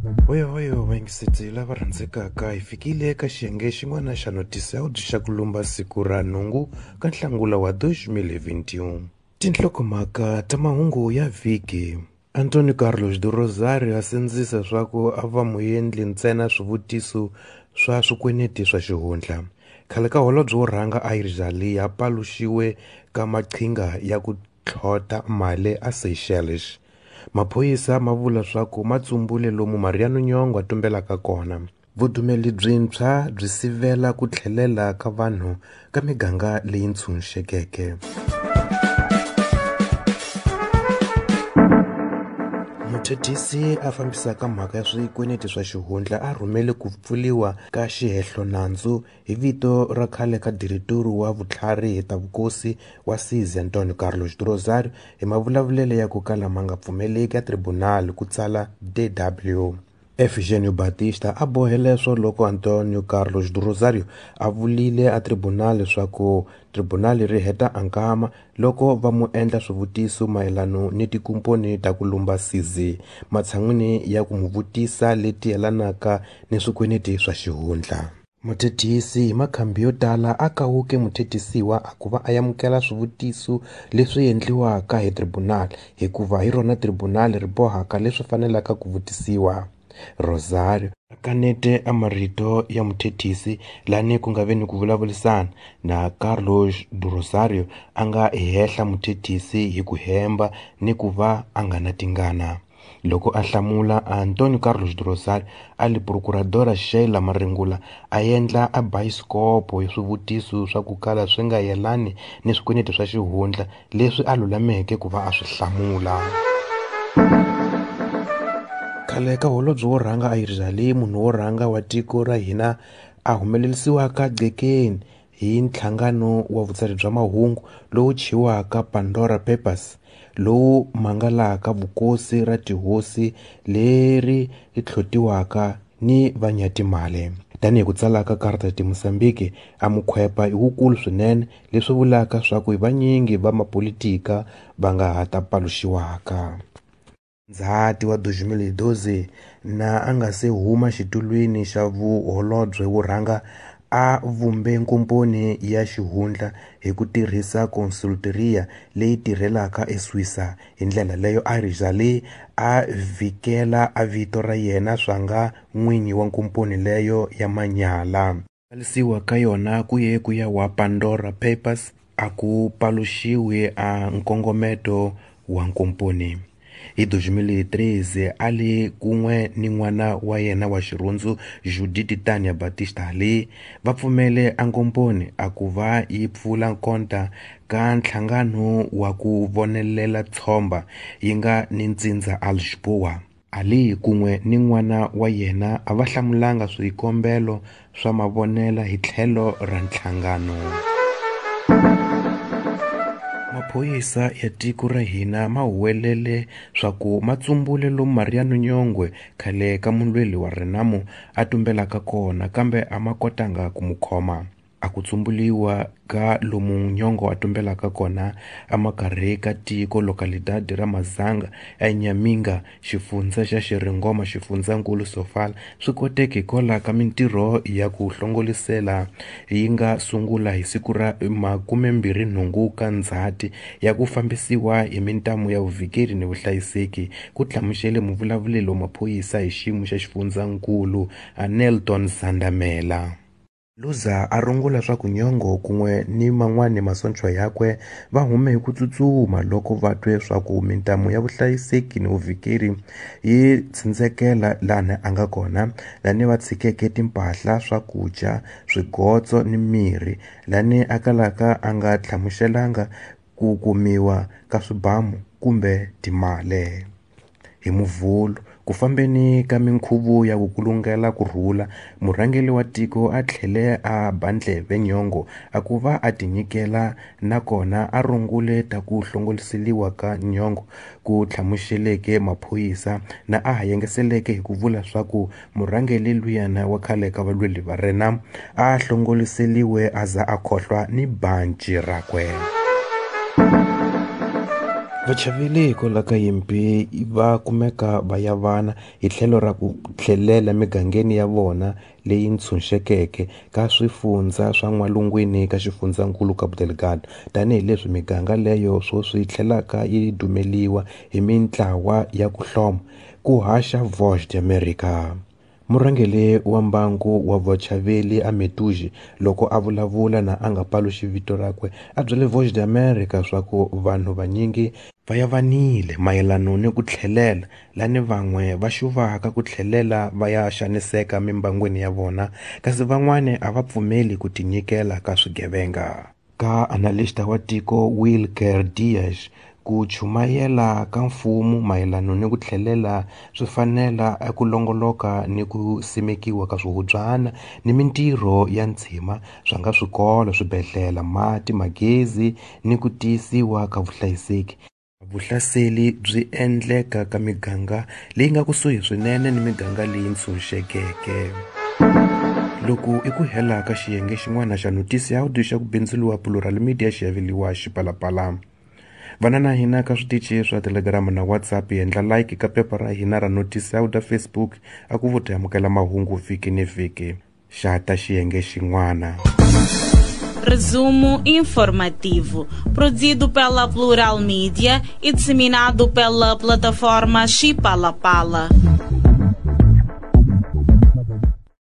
Hoyohoyo vayingiseti lava rhandzekaka, hi fikile eka xiyenge xin'wana xa notisi ya ku xa ku lumba siku ra nhungu ka Nhlangula wa 2021. Tinhlokomhaka ta mahungu ya vhiki. Antonio Carlos do Rosario a sindzisa swa ku a va muendli ntsena swivutiso swa swikweneti swa xihundla. Khale ka holobye wo rhanga Aires Ali a paluxiwe ka maqhinga ya ku tlhota mali a Seychelles. Maphorisa ma vula swa ku ma tsumbule lomu Mariano Nyong'o a tumbelaka kona. Vudumeli byintshwa byi sivela ku tlhelela ka vanhu ka miganga leyi ntshunxekeke. Muthethisi a fambisaka mhaka ya swikweneti swa xihundla a rhumele ku pfuriwa ka xihehlonandzu hi vito ra khale ka diretori wa vutlhari hi ta vukosi wa CZ Antonio Carlos do Rosario hi mavulavulelo ya ku kala ma nga pfumeleki ya tribunal, ku tsala DW. Efigênio Batista a bohe leswo loko Antonio Carlos do Rosario a vulile a tribunal leswaku tribunal ri heta a nkama loko va mu endla swivutiso mayelano ni tikomponi ta ku lumba CZ matshan'wini ya ku mu vutisa leti yelanaka ni swikweneti swa xihundla. Muthethisi hi makhambi yo tala a kawuke muthethisiwa a ku va a amukela swivutiso leswi endliwaka hi tribunal hikuva hi rona tribunal ri bohaka leswi fanelaka ku vutisiwa. Rosario a kanete a marito ya muthethisi lani ku nga ve ni ku vulavurisana na Carlos do Rosario a nga hehla muthethisi hi ku hemba ni ku va a nga na tingana. Loko a hlamula, Antonio Carlos do Rosario a li procuradora Sheila Maringula a endla a bayisikopo hi swivutiso swa ku kala swi nga yelani ni swikweneti swa xihundla leswi a lulameke ku va a swi hlamula. Khale ka holobye wo rhanga Aires Ali, munhu wo rhanga wa tiko ra hina a humelerisiwaka gcekeni hi nhlangano wa vutsari bya mahungu lowu thyiwaka Pandora Papers, lowu mangalaka vukosi ra tihosi leri tlhotiwaka ni vanyatimali. Tanihi ku tsala ka Carta de Moçambique, a mukhwepa i wukulu swinene, leswi vulaka swa ku i vanyingi va mapolitika va nga ha ta paluxiwaka. Ndzhati wa 2012 na a nga se huma xitulwini xa vuholobye wo rhanga a vumbe nkomponi ya xihundla hi ku tirhisa consultoria leyi tirhelaka eSwisa. Hi ndlela leyo Aires Ali a vhikela a vito ra yena swa nga n'winyi wa nkomponi leyo ya manyala. Ku ka yona ku ye ku ya wa Pandora Papers a ku paluxiwi a nkongometo wa nkomponi. Hi 2013 a li kun'we ni n'wana wa yena wa xirhundzu Judith Tania Batista Ali va pfumele a nkomponi a ku va yi pfula nkonta ka nhlangano wa ku vonelela tshomba yi nga ni ntsindza a Lisboa. Ali kun'we ni n'wana wa yena a va hlamulanga swikombelo swa mavonela hi tlhelo ra nhlangano. Maphorisa ya tiko ra hina ma huwelele swa ku ma tsumbule lomu Mariano Nyong'o khale ka mulweli wa Renamo a tumbelaka kona kambe a ma kotanga ku mu khoma. A ku tsumbuliwa ka lomu Nyong'o a tumbelaka kona emakarhi ka tiko localidade ra Mazanga eNyaminga, xifundza xa Xiringoma, xifundzankulu Sofala swi koteke hikwalaho ka mintirho ya ku hlongolisela yi nga sungula hi siku ra 28 ka Ndzhati ya ku fambisiwa hi mintamu ya vuvhikeri ni vuhlayiseki, ku hlamusele muvulavuleri wa maphorisa hi xiyimo xa xifundzankulu Nelton Zandamela. Luza a rungula swa ku Nyong'o kun'we ni man'wani masocha yakwe va hume hi ku tsutsuma loko va twe swa ku mintamu ya vuhlayiseki ni vuvhikeri yi tsindzekela lani a nga kona, lani va tshikeke timpahla, swakudya, swigotso ni mirhi, lani a kalaka a nga hlamuselanga ku kumiwa ka swibamu kumbe timali. Hi Muvhulo, ku fambeni ka minkhuvo ya ku kulungela ku rhula, murhangeri wa tiko a tlhele a ba ndleve Nyong'o a ku va a tinyikela nakona a rungule ta ku hlongoriseliwa ka Nyong'o ku hlamuseleke maphorisa na a ha yengeseleke hi ku vula swa ku murhangeri luyana wa khale ka valweli va Renamo a hlongoriseliwe a za a khohlwa ni banci rakwe. Vachaveli hikwalaho ka yimpi va kumeka va yavana hi tlhelo ra ku tlhelela migangeni ya vona leyi ntshunxekeke ka swifundza swa n'walungwini ka xifundzankulu Cabo Delgado, tanihileswi miganga leyo swoswi tlhelaka yi dumeliwa hi mintlawa ya ku hloma, ku haxa Voz d'America. Murhangeri wa mbangu wa vachaveli a Metuji loko a vulavula na a nga paluxi vito rakwe a byele Voz d'America swa ku vanhu vanyingi va yavanile mayelano ni ku tlhelela lani van'we va xuvaka ku tlhelela va ya xaniseka mimbangwini ya vona, kasi van'wani a va pfumeli ku tinyikela ka swigevenga. Ka analista wa tiko Wilker Dias, ku chumayela ka mfumo mayelano ni ku tlhelela swi fanela eku longoloka ni ku simekiwa ka swihubyana ni mintirho ya ntshima swa nga swikolo, swibedhlele, mati, magezi ni ku tiyisiwa ka vuhlayiseki. Vuhlaseli byi endleka ka miganga leyi nga kusuhi swinene ni miganga leyi ntshunxekeke. Loko i ku hela ka xiyenge xin'wana xa Noticiáudio xa ku bindzuriwa Plural Media xi aveliwa Xipalapala. Vana na hina ka switichi swa Telegram na WhatsApp, endla like ka phepha ra hina ra Noticiáudio Facebook a ku vuti amukela mahungu vhiki ni vhiki. Xa ta xiyenge xin'wana. Resumo informativo, produzido pela Plural Mídia e disseminado pela plataforma Chipalapala.